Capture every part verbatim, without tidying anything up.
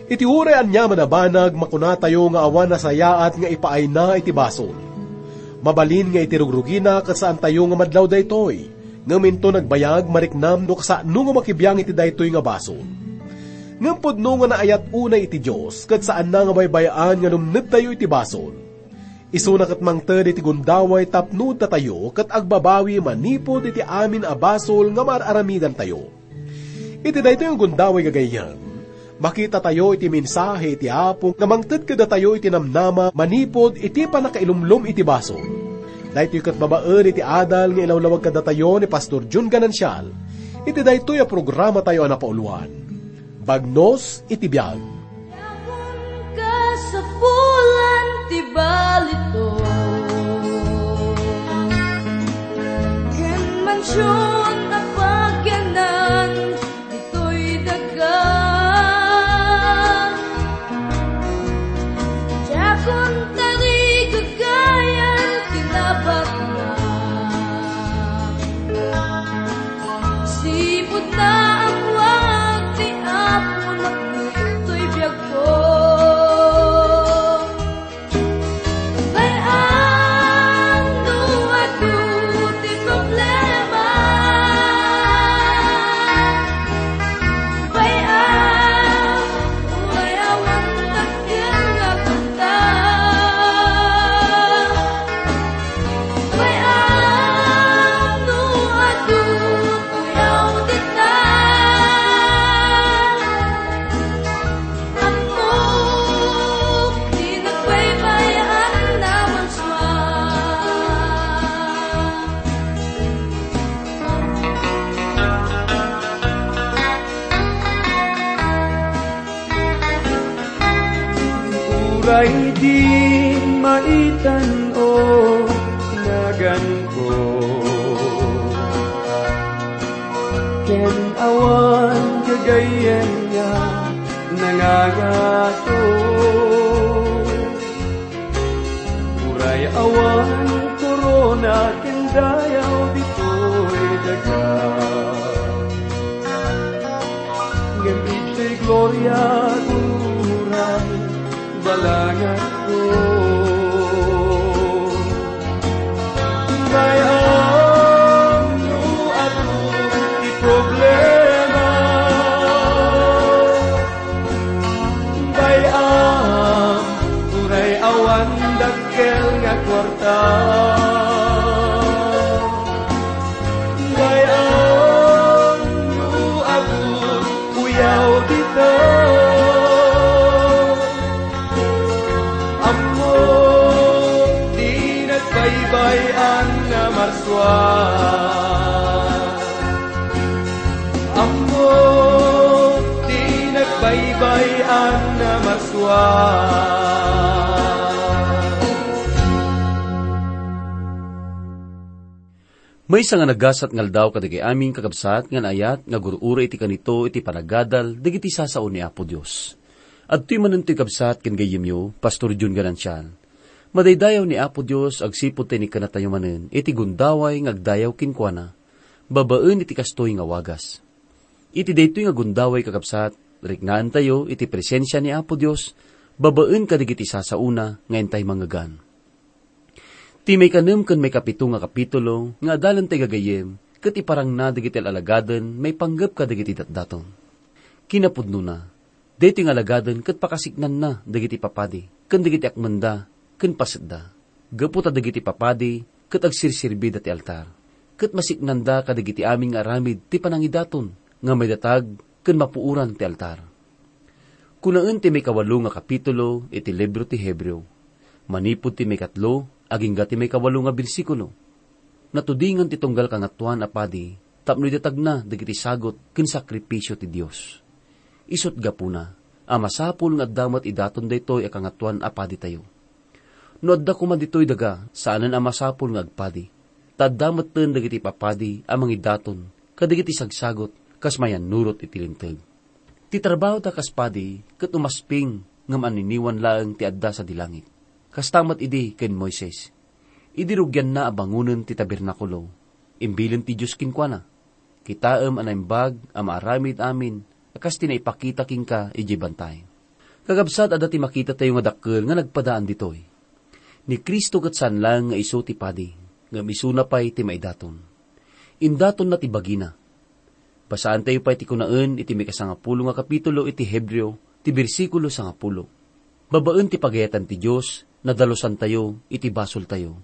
Iti uray aniaman a banag, makunatayo nga awan nasayaat nga ipaayna iti basol. Mabalin nga iti rugrugina ket saantayo nga madlaw daytoy, ngem inton nagbayag, mariknam no kasano nga makibiang iti daytoy nga basol. Ngem pudno nga naayat unay iti Dios, ket saanna nga baybay-an nga lumnedtayo iti basol. Isuna ket mangted iti gundaway tapno datayo ket agbabawi manipud iti amin a basol nga maar-aramidantayo. Iti daytoy nga gundaway gagayyem, makitatayo iti mensahe iti Apo nga mangted kadatayo iti namnama manipud iti pannakailumlom iti basol. Daytoy ket babaen iti adal nga ilawlawag kadatayo ni Pastor Jun Ganancial iti daytoy a programatayo a napauluan, Bagnos iti Biag. Diakon kasapulan ti balitok ken mansion a pagyanan ditoy daga. Diakon tarigagayan ti nabatna. Sipud naammoak ti Apo napno toy biagko. Bay-am no adu ti problema. Bay-am uray awan dakkel nga kwarta. Bay-am no adu ti uyaw dita. Ammok ti nagbaybay-an a marsua. Uray di maitan-o ti naganko, ken awan gagayyem nga nangangato. Uray awan korona ken dayaw ditoy daga, ngem ditoy gloria uray balanganko. Bay-am no adu ti problema. Bay-am uray awan dakkel nga kwarta. Bay-am no adu ti uyaw dita. Ammok ti nagbaybay-an a marsua. Ammok ti nagbaybay-an a marsua. Maysa nga nagasat nga aldaw kadagiti amin, kakabsat, nga naayat nga agur-uray iti kanito iti panagadal dagiti sasao ni Apo Dios. Adtoy manen toy, kabsat, ken gayyemyo, Pastor Jun Ganancial. Madaydayaw ni Apo Dios agsipud ta inikkanatayo manen iti gundaway nga agdayaw kenkuana, babaen iti kastoy nga wagas. Iti daytoy nga gundaway, kakabsat, riknaentayo iti presensia ni Apo Dios babaen kadagiti sasaona nga intay mangngegan. Ti maikanem ken maikapito nga kapitulo nga adalentayo gagayyem ket iparangna dagiti al-alagaden maipanggep kadagiti datdaton. Kinapudnona, daytoy nga alagaden ket pakasiknanna dagiti papadi ken dagiti akmenda ken pasetda, gapu ta dagiti papadi ket agserserbida ti altar, ket masiknanda kadagiti amin nga aramid ti panangidaton nga maidatag ken mapuoran ti altar. Kunaen ti maikawalo nga kapitulo iti libro ti Hebreo, manipud ti maikatlo agingga ti maikawalo nga bersikulo, natudingan ti tunggal Kangatoan a Padi tapno idatagna dagiti sagut ken sakripisio ti Dios. Isut' gapuna a masapul nga adda met idaton daytoy a Kangatoan a Paditayo. No adda koma ditoy daga, saanen a masapul nga agpadi, ta adda metten dagiti papadi a mangidaton kadagiti sagsagut kas mayannurot iti Linteg. Ti trabahoda kas padi ket umasping ngem anniniwan laeng ti adda sadi langit. Kasta met idi ken Moises. Idi rugianna a bangonen ti tabernakulo, imbilen ti Dios kenkuana, "Kitaem a naimbag a maaramid amin a kas ti naipakita kenka idiay bantay." Kakabsat, adda ti makitatayo nga dakkel nga nagpadaan ditoy. Ni Cristo ket saan laeng nga isu ti padi, ngem isuna pay ti maidaton. Indatonna ti bagina. Basaantayo pay ti kunaen iti maikasangapulo nga kapitulo iti Hebreo, ti bersikulo sangapulo. Babaen ti pagayatan ti Dios, nadalusantayo iti basoltayo.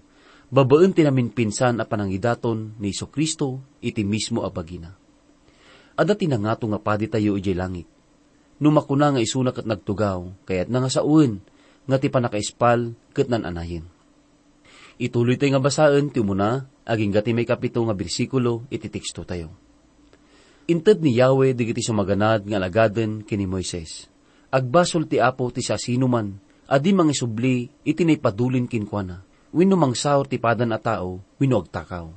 Babaen ti naminpinsan a panangidaton ni Jesu-Cristo iti mismo a bagina. Adda ti nangato nga paditayo idiay langit. No makuna nga isuna ket nagtugaw, kayatna nga sawen nga ti pannakaispal ket nan-anayen. Ituloytayo nga basaen ti umuna agingga ti maikapito nga bersikulo iti tekstotayo. Inted ni Yahweh dagiti sumaganad nga alagaden ken ni Moises, "Agbasol ti Apo ti siasinoman a di mangisubli iti naipadulin kenkuana, wenno mangsaur ti padan a tao, wenno agtakaw,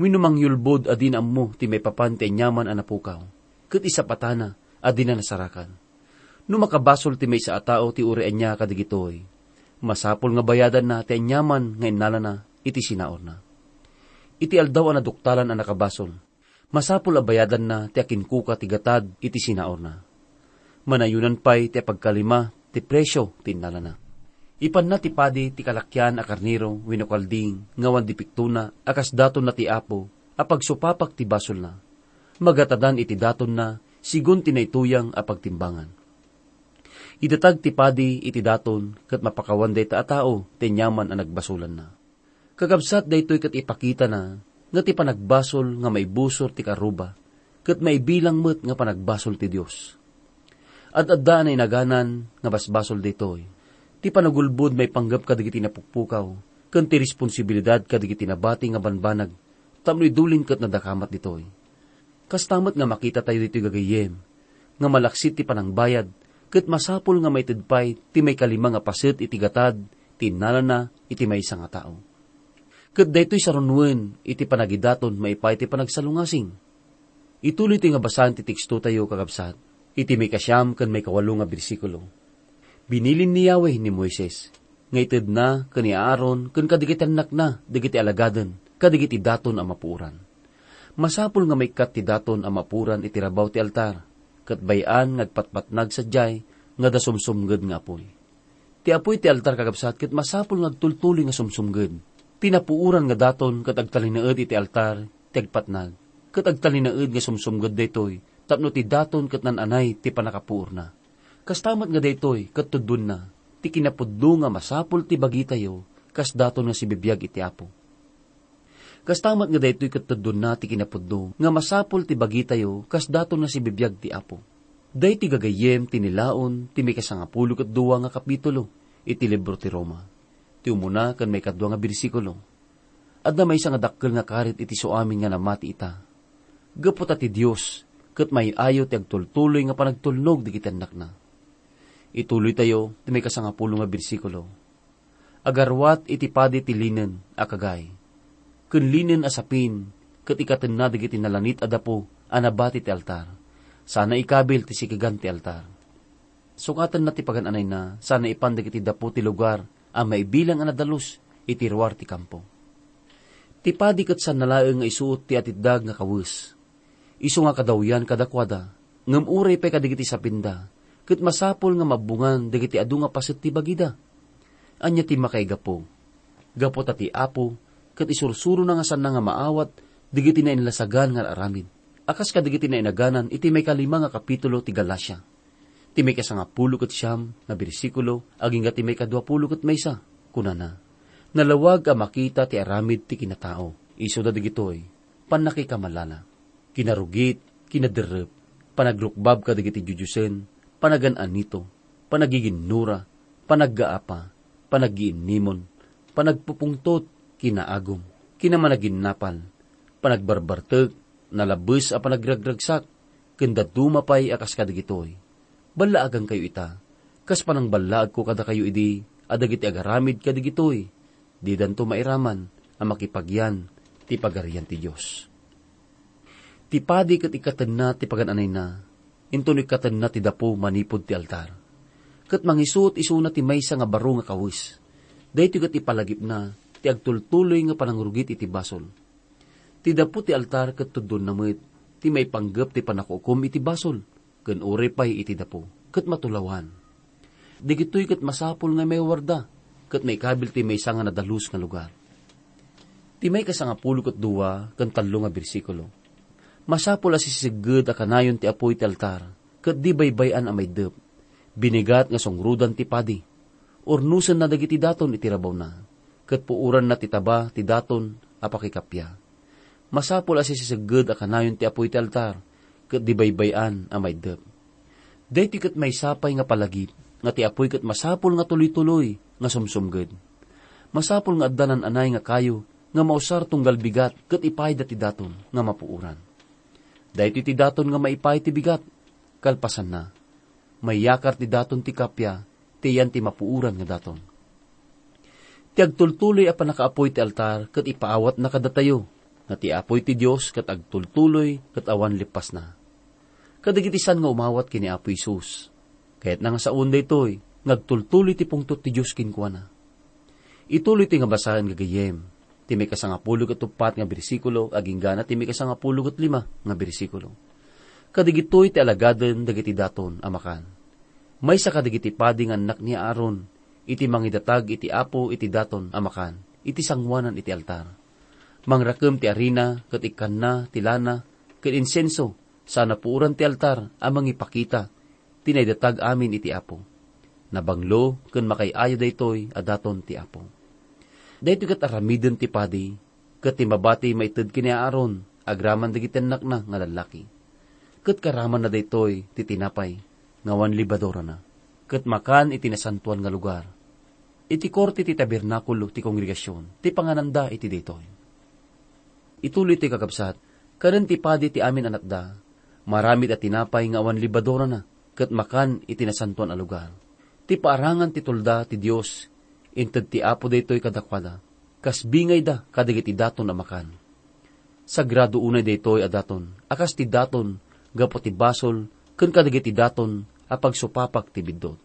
wenno mangyulbod a dina ammo ti maipapan ti aniaman a napukaw, ket isapatana a dina nasarakan." No makabasol ti maysa a tao ti uray ania kadagitoy, masapul nga bayadanna ti aniaman nga innalana iti sinaurna. Iti aldaw a naduktalan a nakabasol, masapul a bayadanna ti akinkuka ti gatad iti sinaurna. Manayonan pay ti apagkalima ti presio ti innalana. Ipanna ti padi ti kalakian a karnero wenno kalding nga awan dipektona a kas datonna ti Apo a pagsupapak ti basolna. Magatadan iti datonna sigun ti naituyang a pagtimbangan. Idatag ti padi iti daton ket mapakawan dayta a tao ti aniaman a nagbasolanna. Kakabsat, daytoy ket ipakitana nga ti panagbasol nga maibusor ti karuba, ket maibilang met nga panagbasol ti Dios. Ad-adda a nainaganan nga basbasol daytoy. Ti panagulbod maipanggep kadagiti napukpukaw, ken ti responsibilidad kadagiti nabati nga banbanag, tapno idulin ket nadakamat ditoy. Kasta met nga makitatayo ditoy gagayyem, nga malaksid ti panangbayad, ket masapul nga maited pay ti maikalima nga paset iti gatad ti innalana iti maysa nga tao. Ket daytoy sarunuen iti panagidaton maipaay ti panagsalungasing. Ituloytayo nga basaen ti tekstotayo, kakabsat, iti maikasiam ken maikawalo nga bersikulo. Binilin ni Yahweh ni Moises, nga itedna ken ni Aaron ken kadagiti annakna dagiti alagaden kadagiti daton a mapuoran. Masapul nga maikkat ti daton a mapuoran iti rabaw ti altar, ket bay-an nga agpatpatnag sadiay nga adda sumsumnged nga apuy. Ti apuy ti altar, kakabsat, ket masapul nga agtultuloy nga sumsumnged. Ti napuoran nga daton ket agtalinaed iti altar ti agpatnag, ket agtalinaed nga sumsumnged daytoy tapno ti daton ket nan-anay ti pannakapuorna. Kasta met nga daytoy ket tudonna ti kinapudno nga masapul ti bagitayo kas daton nga sibibiag iti Apo. Kasta met nga daytoy ket tudonna ti kinapudno nga masapul ti bagitayo kas daton nga sibibiag ti Apo. Daytoy gagayyem ti nilaon ti maikasangapulo ket dua nga kapitulo iti libro ti Roma, ti umuna ken maikadua nga bersikulo. Adda maysa nga dakkel nga karit iti suamin nga namati ita. Gapu ta ti Dios ket may-ayo ti agtultuloy nga panagtulnog dagiti annakna. Ituloytayo ti maikasangapulo nga bersikulo. Agarruat iti padi ti linen a kagay, ken linen a sapin, ket ikatenna dagiti nalanit a dapo a nabati ti altar, sana ikabil ti sikegan ti altar. Sukatenna ti pagan-anayna sana ipan dagiti dapo ti lugar a maibilang a nadalus iti ruar ti kampo. Ti padi ket saan laeng nga isuot ti atitdag nga kawes. Isu nga kadawyan kadakuada, ngem uray pay kadagiti sapinda, ket masapul nga mabbungan dagiti adu nga paset ti bagida. Ania ti makaigapu? Gapu ta ti Apo ket isursurona nga saanna nga maawat dagiti nainlasagan nga aramid, a kas kadagiti nainaganan iti maikalima nga kapitulo ti Galacia. Ti maikasangapulo ket siam nga bersikulo agingga ti maikaduapulo ket maysa, kunana, "Nalawag a makita ti aramid ti kinatao, isuda dagitoy: pannakikamalala, kinarugit, kinaderrep, panagrukbab kadagiti dioddiosen, panagan-anito, panagiginnura, panaggaapa, panaggiinnimon, panagpupungtot, kinaagum, kinamanaginnapal, panagbarbartek, nalabbes a panagragragsak, ken dadduma pay a kas kadagitoy. Ballaagankayo ita, kas panangballaagko kadakayo idi a dagiti agaramid kadagitoy, didanto mairaman a makipagyan ti Pagarian ti Dios." Ti padi ket ikkatenna ti pagan-anayna, inton ikkatenna ti dapo manipud ti altar. Ket mangisuot isuna ti maysa nga baro nga kawes. Daytoy ket ipalagipna ti agtultuloy nga panangrugit iti basol. Ti dapo ti altar ket tuddonna met ti maipanggep ti pannakukum iti basol, ken uray pay iti dapo, ket matulawan. Dagitoy ket masapul nga maiwarda ket maikabil ti maysa nga nadalus nga lugar. Ti maikasangapulo ket dua ken tallo nga bersikulo, masapul a sisisegged a kanayon ti apuy ti altar ket di baybay-an a maiddep. Binigat nga sungrodan ti padi. Urnosenna dagiti daton iti rabawna, ket puoranna ti taba ti daton a pakikappia. Masapul a sisisegged a kanayon ti apuy ti altar, ket di baybay-an a maiddep. Daytoy ket maysa pay nga palagip nga ti apuy ket masapul nga tuloy-tuloy nga sumsumged. Masapul nga adda nan-anay nga kayo nga mausar tunggal bigat ket ipayda ti daton nga mapuoran. Daytoy ti daton nga maipay ti bigat. Kalpasanna, mayakar ti daton ti kappia ti iyan ti mapuoran nga daton. Ti agtultuloy a pannakaapuy ti altar ket ipaawatna kadatayo, nga ti apuy ti Dios ket agtultuloy ket awan leppasna. Kadagiti saan nga umawat ken ni Apo Jesus, kayatna nga saoen daytoy nga agtultuloy ti pungtot ti Dios kenkuana. Ituloy ti nga basaen, gagayyem, ti maikasangapulo ket uppat nga bersikulo agingga na ti maikasangapulo ket lima nga bersikulo. Kadagitoy ti alagaden dagiti daton a makan. Maysa kadagiti padi nga annak ni Aaron iti mangidatag iti Apo iti daton a makan iti sangoanan iti altar. Mangrakem ti arina ket ikkanna ti lana ken insenso, sana puoran ti altar a mangipakita ti naidatag amin iti Apo. Nabanglo ken makaay-ayo daytoy a daton ti Apo. Daytoy ket aramiden ti padi ket ti mabati maited ken ni Aaron agraman dagiti annakna nga lallaki. Ket karamanna daytoy ti tinapay nga awan lebadurana, ket makan iti nasantoan nga lugar. Iti korte ti tabernakulo ti kongregasion ti pangananda iti daytoy. Ituloy ti kakabsat, kanen ti padi ti amin a natda, maramid a tinapay nga awan lebadurana, ket makan iti nasantoan a lugar. Ti paarangan ti tulda ti Dios, inted ti Apo daytoy kadakuada, kas bingayda kadagiti daton a makan. Sagrado unay daytoy a daton, a kas ti daton gapu ti basol ken kadagiti daton a pagsupapak ti biddut.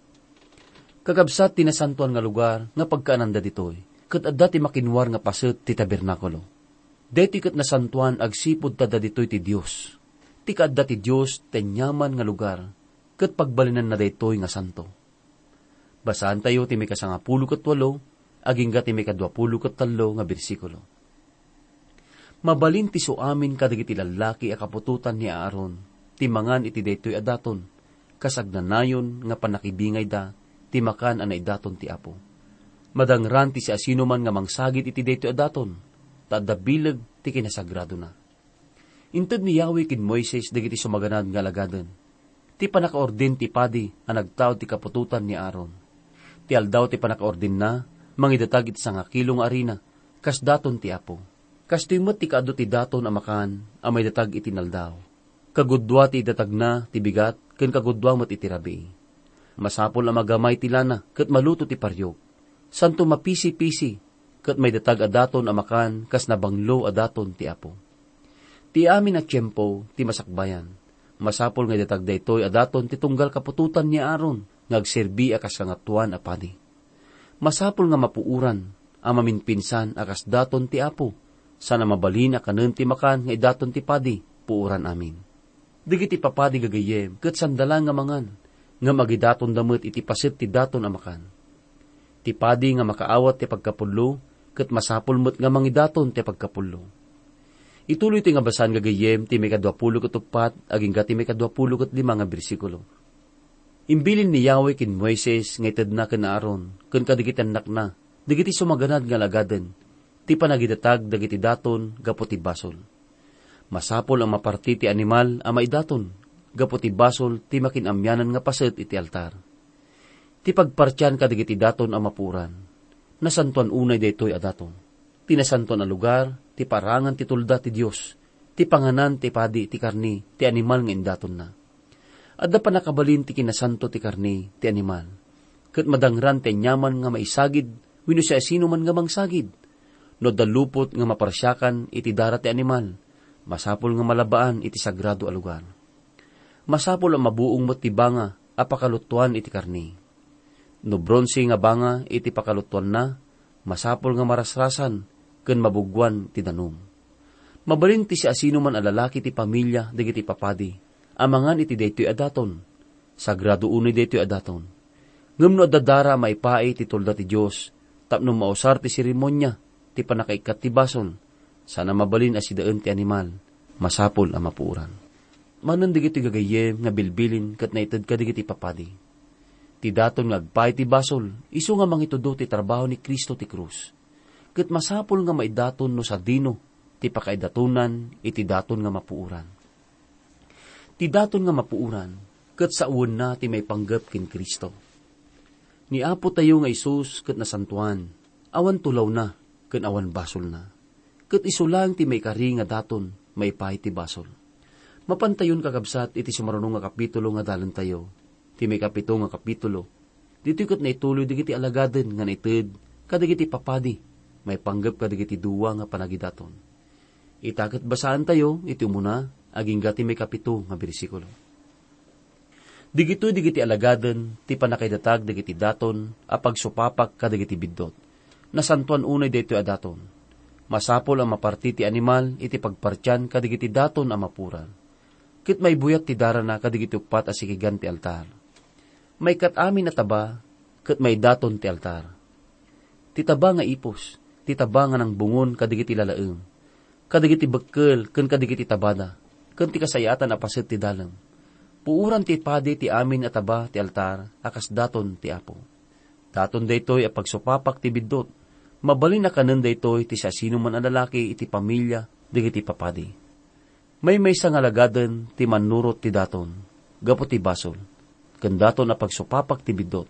Kakabsat ti nasantoan nga lugar nga pagkaananda ditoy, ket adda ti makinwar nga paset ti tabernakulo. Daytoy ket nasantoan agsipud ta adda ditoy ti Dios. Ti kaadda ti Dios ti aniaman nga lugar, ket pagbalinanna daytoy nga santo. Basaantayo ti maikasangapulo ket walo agingga ti maikaduapulo ket tallo nga bersikulo. Mabalin ti suamin kadagiti lallaki a kaputotan ni Aaron ti mangan iti daytoy a daton, kas agnanayon nga pannakibingayda ti makan a naidaton ti Apo. Madangran ti siasinoman nga mangsagid iti daytoy a daton, ta adda bileg ti kinasagradona. Inted ni Yahweh ken Moises dagiti sumaganad nga alagaden ti pannakaordin ti padi a nagtaud ti kaputotan ni Aaron. Ti aldaw ti pannakaordinna, mangidatag iti sangakilo nga arina, kas daton ti Apo. Kastoy met ti kaadu ti daton a makan a maidatag iti naldaw. Kagudua ti idatagna ti bigat ken kagudua met iti rabii. Masapul a magamay ti lana ket maluto ti pariok. Santo mapisi-pisi ket maidatag a daton a makan kas nabanglo a daton ti Apo. Ti amin a tiempo ti masakbayan, masapul nga idatag daytoy a daton ti tunggal kaputotan ni Aaron nga agserbi a kas kangatoan a padi. Masapul nga mapuoran a maminpinsan a kas daton ti Apo, sana mabalin a kanen ti makan nga idaton ti padi, puoran amin. Dagiti papadi gagayyem ket sanda laeng nga mangan, ngem agidatonda met iti paset ti daton a makan. Ti padi nga makaawat ti pagkapullo ket masapul met nga mangidaton ti pagkapullo. Ituloy ti nga basan gagayyem ti maikaduapulo ket uppat agingga ti maikaduapulo ket lima nga bersikulo. Imbilin ni Yahweh ken Moises nga itedna ken Aaron ken kadagiti annakna dagiti sumaganad nga alagaden ti panagidatag dagiti daton gapu ti basol. Masapul a maparti ti animal a maidaton gapu ti basol ti makin-amianan nga paset iti altar. Ti pagpartian kadagiti daton a mapuoran, nasantoan unay daytoy a daton. Ti nasantoan a lugar, ti parangan ti tulda ti Dios, ti panganan ti padi ti karni ti animal nga indatonna. Adda pannakabalin ti kinasanto ti karni ti animal, ket madangran ti aniaman nga maisagid wenno siasinoman nga mangsagid. No adda lupot nga maparsiakan iti dara ti animal, masapul nga malabaan iti sagrado a lugar. Masapul a mabuong met ti banga a pakaluttuan iti karni. No bronse nga banga iti pakaluttuanna, masapul nga marasrasan ken mabuguan ti danum. Mabalin ti siasinoman a lalaki ti pamilia dagiti papadi a mangan iti daytoy a daton. Sagrado unay daytoy a daton. Ngem no adda dara a maipaay ti tulda ti Dios tapno mausar ti seremonia ti pannakaikkat ti basol, saan a mabalin a sidaen ti animal, masapul a mapuoran. Manen dagitoy gagayyem nga bilbilin ket naited kadagiti papadi. Ti daton nga agpaay ti basol, isu nga mangitudo ti trabaho ni Cristo ti krus. Ket masapul nga maidaton no sadino ti pakaidatonan iti daton nga mapuoran. Ti daton nga mapuoran, ket sawenna ti maipanggep ken Cristo. Ni Apo tayo nga Jesus ket nasantoan, awan tulawna ken awan basolna. Ket isu laeng ti maikari nga daton maipaay ti basol. Mapantayon, kakabsat, iti sumaruno nga kapitulo nga dalentayo, ti maikapito nga kapitulo. Ditoy ket naituloy dagiti alagaden nga naited kadagiti papadi maipanggep kadagiti dua nga panagidaton. Ita ket basaantayo iti umuna agingga ti maikapito nga bersikulo. Digitoy dagiti alagaden ti pannakaidatag dagiti daton a pagsupapak kadagiti biddut. Nasantoan unay daytoy a daton. Masapul a maparti ti animal iti pagpartian kadagiti daton a mapuran. Ket maibuyat ti darana kadagiti uppat a sikigan ti altar. Maikkat amin a taba ket maidaton ti altar. Ti taba nga ipus, ti taba nga nangbungon kadagiti lalaem, kadagiti bekkel ken kadagiti tabada, ken ti kasayaatan a paset ti dalem. Puoran ti padi ti amin a taba ti altar a kas daton ti Apo. Daton daytoy a pagsupapak ti biddut. Mabalin a kanen daytoy ti siasinoman a lalaki iti pamilia dagiti papadi. Maymaysa nga alagaden ti mannurot ti daton gapu ti basol, ken daton a pagsupapak ti biddut.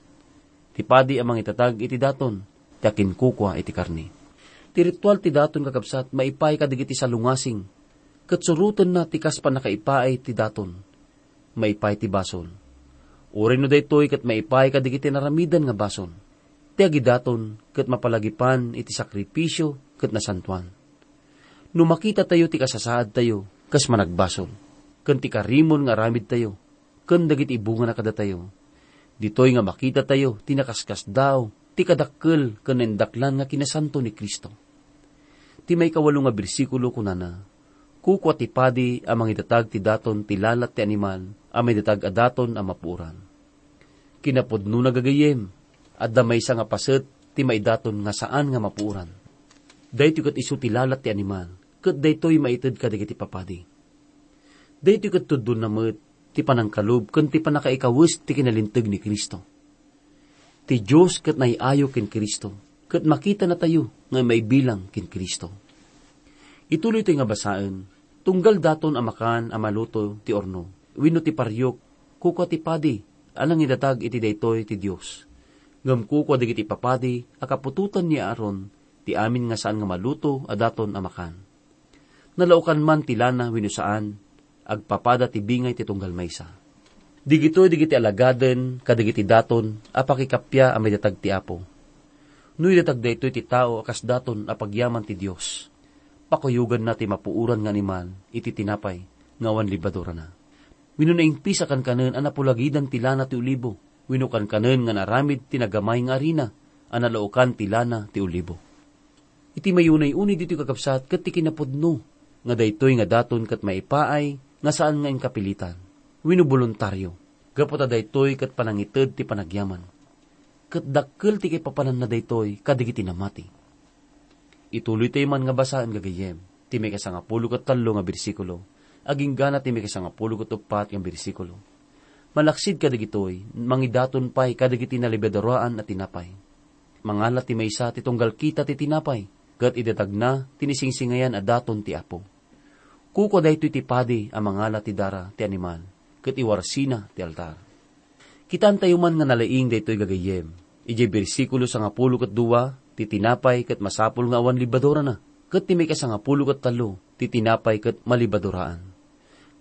Ti padi a mangitatag iti daton ti akinkukua iti karne. Ti ritual ti daton, kakabsat, maipaay kadagiti salungasing, ket surotenna ti kas pannakaipaay ti daton maipaay ti basol. Uray no daytoy ket maipaay kadagiti naramidan nga basol. Ti agidaton ket mapalagipan iti sakrifisio ket nasantoan. No makitatayo ti kasasaadtayo kas managbasol, ken ti karimon nga aramidtayo, ken dagiti bungana kadatayo, ditoy nga makitatayo ti nakaskasdaaw ti kadakkel ken naindaklan nga kinasanto ni Cristo. Ti maikawalo nga bersikulo kunana, "Kukua ti padi a mangidatag ti daton ti lalat ti animal a maidatag a daton a mapuoran." Kinapudnona, gagayyem, adda maysa nga paset ti maidaton nga saan nga mapuoran. Daytoy ket isu ti lalat ti animal, ket daytoy maited kadagiti papadi. Daytoy ket tuddonna met ti panangkalub ken ti pannakaikawes ti kinalinteg ni Cristo. Ti Dios ket naay-ayo ken Cristo, ket makitanatayo nga maibilang ken Cristo. Ituloytoy nga basaen, tunggal daton a makan a maluto ti urno, wenno ti pariok, kukua ti padi a nangidatag iti daytoy ti Dios. Ngem kukua dagiti papadi a kaputotan ni Aaron ti amin nga saan nga maluto a daton a makan. Nalaokan man ti lana wenno saan, agpapada ti bingay ti tunggal maysa. Digitoy dagiti alagaden kadagiti daton a pakikappia a maidatag ti Apo. No idatag daytoy ti tao a kas daton a pagyaman ti Dios, pakuyoganna ti mapuoran nga animal iti tinapay nga awan lebadurana. Wenno naingpis a kankanen a napulagidan ti lana ti olibo, wenno kankanen nga naaramid ti nagamay nga arina a nalaokan ti lana ti olibo. Iti mayunay-unay ditoy, kakabsat, ket ti kinapudno nga daytoy nga daton ket maipaay nga saan nga inkapilitan wenno boluntario, gapu ta daytoy ket panangited ti panagyaman. Ket dakkel ti kaipapananna daytoy kadagiti namati. Ituloytayo man nga basaen, gagayyem, ti maikasangapulo ket tallo nga bersikulo, aginggana ti maikasangapulo ket uppat nga bersikulo. Malaksid kadagitoy, mangidaton pay kadagiti nalebaduraan a tinapay. Mangala ti maysa ti tunggal kita ti tinapay, ket idatagna ti nisingsingayan a daton ti Apo. Kukua daytoy ti padi a mangala ti dara ti animal, ket iwarsina ti altar. Kitaentayo man nga nalaing daytoy, gagayyem. Idiay bersikulo sangapulo ket dua, ti tinapay ket masapul nga awan lebadurana, ket ti maikasangapulo ket tallo, ti tinapay ket malebaduraan.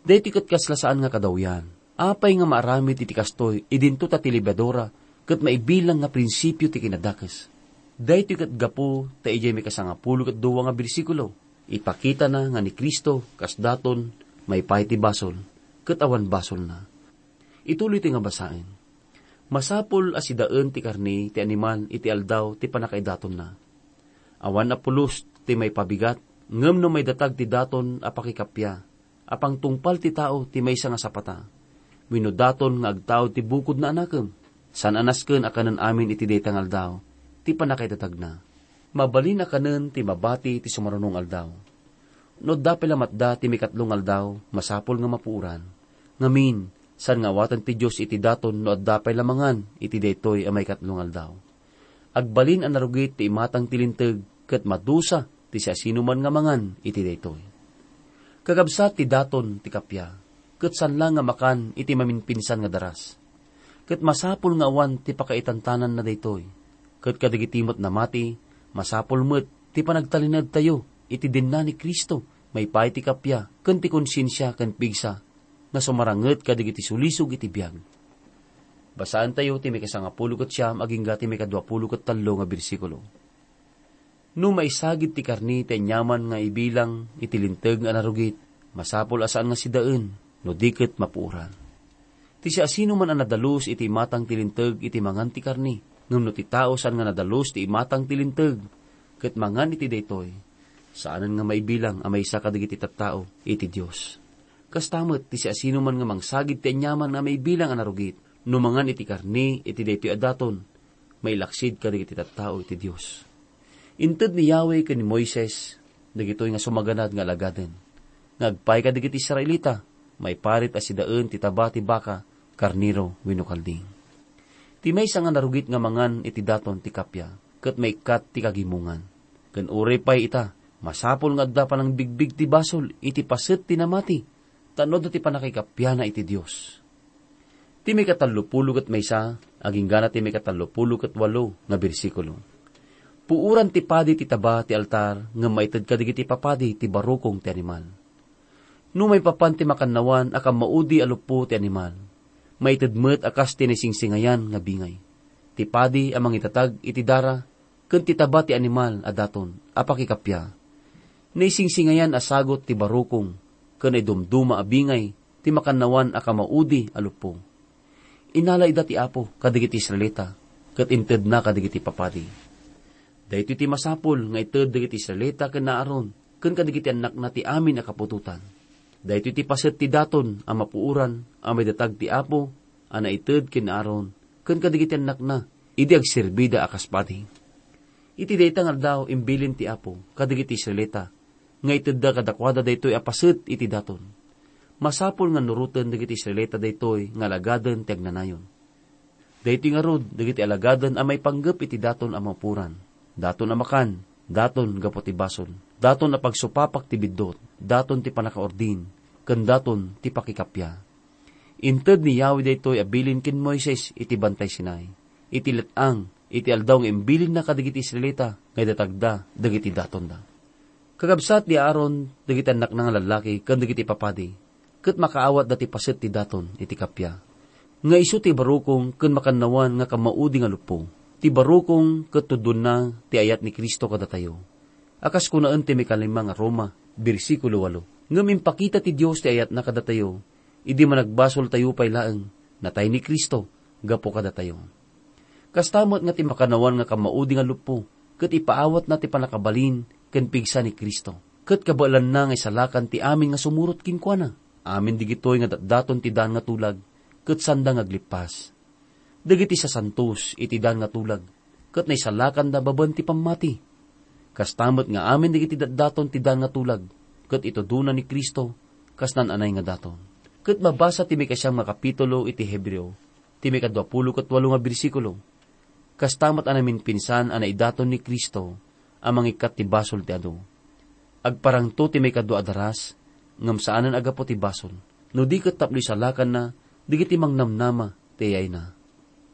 Daytoy ket kasla saan nga kadawyan. Apay nga maaramid iti kastoy idinto ta ti lebadura ket maibilang nga prinsipio ti kinadakes? Daytoy ket gapu ta idiay maikasangapulo ket dua nga bersikulo, ipakitana nga ni Cristo kas daton maipaay ti basol ket awan basolna. Ituloytoy nga basaen. Masapul a sidaen ti karne ti animal iti aldaw ti pannakaidatonna. Awan a pulos ti maipabigat, ngem no maidatag ti daton a pakikappia, a pangtungpal ti tao ti maysa nga sapata, wenno daton nga agtaud ti bukodna a nakem, Saan a nasken a kanen amin iti dayta nga aldaw ti pannakaidatagna. Mabalin a kanen ti mabati ti sumaruno nga aldaw. No adda pay lamatda ti maikatlo nga aldaw, masapul nga mapuoran. Ngamin, saan nga awaten ti Dios iti daton no adda pay la mangan iti daytoy a maikatlo nga aldaw. Agbalin a narugit ti imatang ti linteg ket madusa ti siasinoman nga mangan iti daytoy. Kakabsat, ti daton ti kappia, ket saan la nga makan iti maminpinsan nga daras. Ket masapul nga awan ti pakaitantananna daytoy. Ket kadagiti met namati, masapul met ti panagtalinaedtayo iti denna ni Cristo maipaay ti kappia ken ti konsiensia ken pigsa nga sumaranget kadagiti sulisog iti biag. Basaentayo ti maikasangapulo ket siam agingga ti maikaduapulo ket tallo nga bersikulo. No maisagid ti karne ti aniaman nga ibilang iti linteg nga narugit, masapul a saan nga sidaen, no di ket mapuoran. Ti siasinoman a nadalus iti imatang ti linteg iti mangan ti karne, ngem no ti tao saan nga nadalus ti imatang ti linteg ket mangan iti daytoy, saanen nga maibilang a maysa kadagiti tattao iti Dios. Kasta met ti siasinoman nga mangsagid ti aniaman a maibilang a narugit, no mangan iti karne iti daytoy a daton, mailaksid kadagiti tattao iti Dios. Inted ni Yahweh ken ni Moises dagitoy nga sumaganad nga alagaden, nga agpay kadagiti Israelita, maiparit a sidaen ti taba ti baka, karnero wenno kalding. Ti maysa nga narugit nga mangan iti daton ti kappia, ket maikkat ti kagimongan. Ken uray pay ita, masapul nga adda panangbigbig ti basol iti paset ti namati, tapno adda ti pannakikappiana iti Dios. Ti maikatallopulo ket maysa, aginggana ti maikatallopulo ket walo nga bersikulo. Puoran ti padi ti taba ti altar, ngem maited kadagiti papadi ti barukong ti animal. No maipapan ti makannawan a kammaudi a luppo ti animal, maited met a kas ti naisingsingayan nga bingay. Ti padi a mangitatag iti dara, ken ti taba ti animal a daton a pakikappia. Naisingsingayan a sagut ti barukong ken naidumduma a bingay ti makannawan a kamaudi a luppo. Inala ida ti Apo kadagiti Israelita, ket intedna kadagiti papadi. Daytoy ti masapul nga ited dagiti Israelita ken Aaron ken kadagiti annakna ti amin a kaputotan. Daytoy ti paset ti daton a mapuoran a maidatag ti Apo a naited ken Aaron ken kadagiti annakna idi agserbida a kas padi. Iti dayta nga aldaw, imbilin ti Apo kadagiti Israelita nga itedda kadakuada daytoy a paset iti daton. Masapul nga nuroten dagiti Israelita daytoy nga alagaden ti agnanayon. Daytoy ngarud dagiti alagaden a maipanggep iti daton a mapuoran, daton a makan, daton gapu ti basol, daton a pagsupapak ti biddut, daton ti pannakaurdin, ken daton ti pakikappia. Inted ni Yahweh daytoy a bilin ken Moises iti Bantay Sinai, iti let-ang, iti aldaw nga imbilinna kadagiti Israelita nga idatagda dagiti datonda. Kakabsat, ni Aaron, dagiti annakna nga lallaki, ken dagiti papadi, ket makaawatda ti paset ti daton iti kappia, nga isu ti barukong ken makannawan nga kammaudi nga luppo. Ti barukong ket tudonna ti ayat ni Cristo kadatayo. A kas kunaen ti maikalima nga Roma, bersikulo walo, ngem impakita ti Dios ti ayatna kadatayo idi managbasoltayo pay laeng, natay ni Cristo gapu kadatayo. Kasta met nga ti makannawan nga kammaudi nga luppo, ket ipaawatna ti pannakabalin ken pigsa ni Cristo, ket kabaelanna nga isalakan ti amin nga sumurot kenkuana. Amin digitoy nga datdaton ti daan nga tulag, ket saanda nga aglippas. Dagiti sasantos iti daan nga tulag, ket naisalakanda babaen ti pammati. Kasta met nga amin dagiti datdaton ti daan nga tulag, ket itudona ni Cristo kas naan-anay nga daton. Ket mabasa ti maikasiam nga kapitulo iti Hebreo, ti maikaduapulo ket walo nga bersikulo, kasta met a naminpinsan a naidaton ni Cristo a mangikkat ti basol ti adu. Agparangto ti maikadua a daras, ngem saanen a gapu ti basol, no di ket tapno isalakanna dagiti mangnamnama ti ayayna.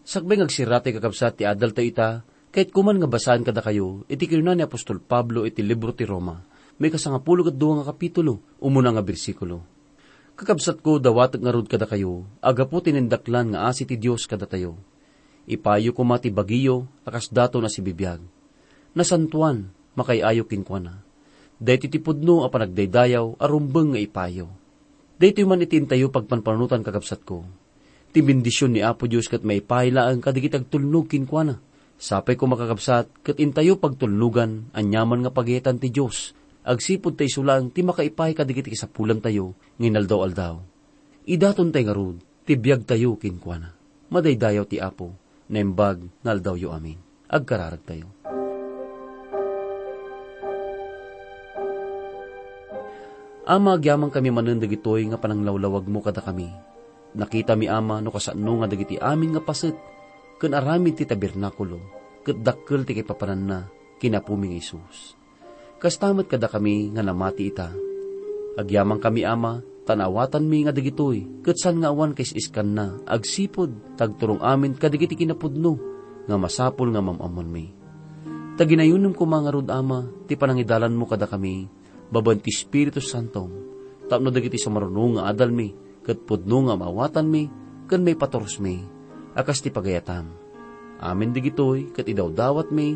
Sakbay nga agsirratoy, kakabsat, ti adaltayo ita, kayatko man nga basaen kadakayo iti kinuna ni apostol Pablo iti libro ti Roma, maikasangapulo ket dua nga kapitulo, umuna nga bersikulo. Kakabsatko, dawatek ngarud kadakayo a gapu ti nindaklan nga asi ti Dios kadatayo, ipayo koma ti bagiyo a kas daton a sibibiag, nasantoan, makaay-ayo kenkuana. Daytoy ti pudno a panagdaydayaw a rumbeng nga ipayo. Daytoy man iti intayo pagpanpanunotan, kakabsatko. Ti bendision ni Apo Dios ket maipaay laeng kadagiti agtulnog kenkuana. Sapay koma, kakabsat, ket intayo pagtulnogan aniaman nga pagayatan ti Dios, agsipud ta isu laeng ti makaipaay kadagiti kasapulantayo nga inaldaw-aldaw. Idatontay ngarud ti biagtayo kenkuana. Madaydayaw ti Apo. naimbag nga aldawyo amin. Agkararagtayo. Ama, agyamankami manen dagitoy nga pananglawlawagmo kadakami. Nakitami, Ama, no kasano nga dagiti amin nga paset ken aramid ti tabernakulo ket dakkel ti kaipapananna ken Apomi nga Jesus. Kasta met kadakami nga namati ita. Agyamankami, Ama, ta naawatanmi nga dagitoy ket saan nga awan kaisiskanna agsipud ta agturong amin kadagiti kinapudno nga masapul nga mam-ammoanmi. Ta ginayonem koma ngarud, Ama, ti panangidalanmo kadakami babaen ti Espiritu Santom, tapno dagiti sumaruno nga adalmi ket pudno nga maawatanmi ken maipaturosmi a kas ti pagayatam. Amin dagitoy ket idawdawatmi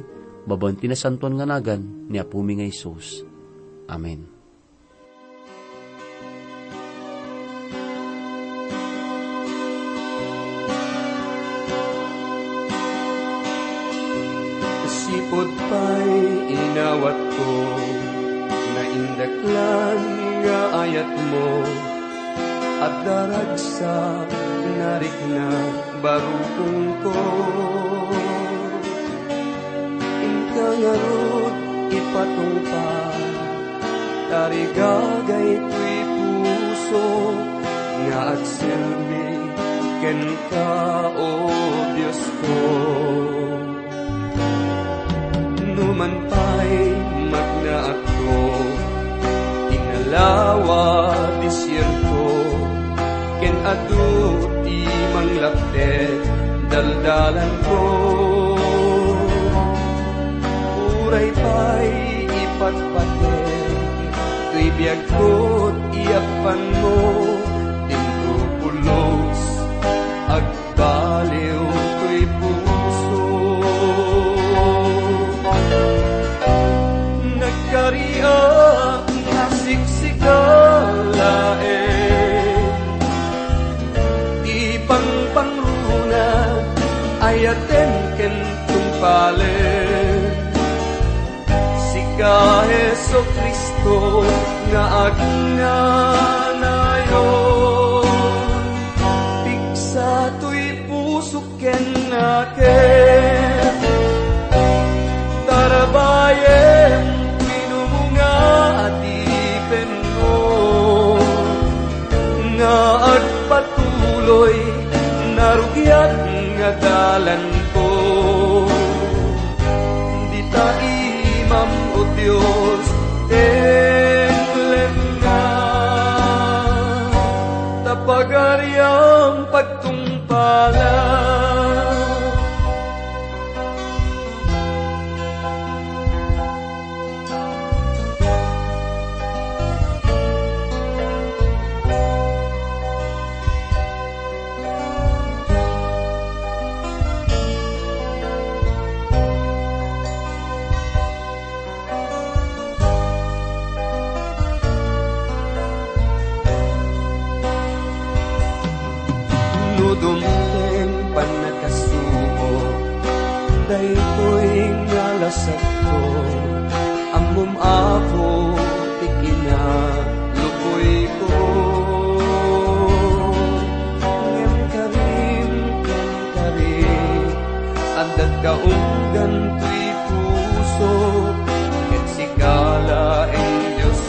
babaen ti nasantoan nga nagan ni Apomi nga Jesus. Amen. Sipud pay inawatko, naindaklan nga ayatmo, adda ragsak narikna barukongko. Inka ngarud ipatungpal, tarigagay toy puso nga agserbi kenka, O Diosko. Numan pay magnaakto, inalawa desierto, ken adu ti manglaptek daldalanko. Uray pay ipatpatek toy biagko ti yappanmo, dinto pulos ag- baliw toy puso. Nagkariak a siksika laeng ti pangpangruna, ayaten ken tungpalen. Sika, Jesu-Cristo, nga agnanayon, pigsa toy pusok ken nakem. Tarabayem ti numunga a adipenmo, nga agpatuloy narugiat nga dalanko. Dita imam, O Dios, tenglenna, ta pagariam pagtungpalan. No dumteng pannakasubo, daytoy nga lasagko, ammom, Apo, ti kinalukoyko. Ngem karim ken karim, addatka unggan toy puso, ket sika laeng, Dios,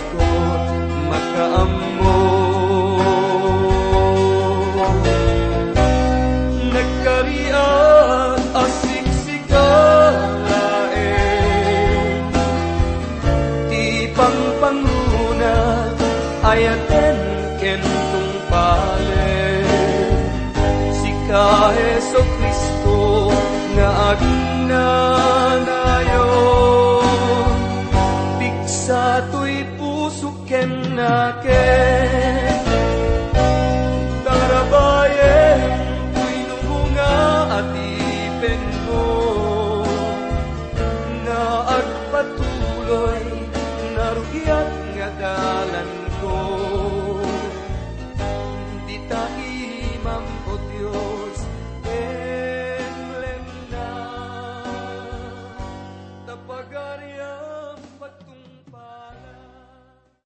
makaammo. Nagkariak a siksika laeng ti pangpangruna, ayaten ken tungpalen. Sika, Jesu-Cristo, nga agnanayon, pigsa toy puso ken nakem. Tarabayem toy numunga a adipenmo, nga agpatuloy narugiat nga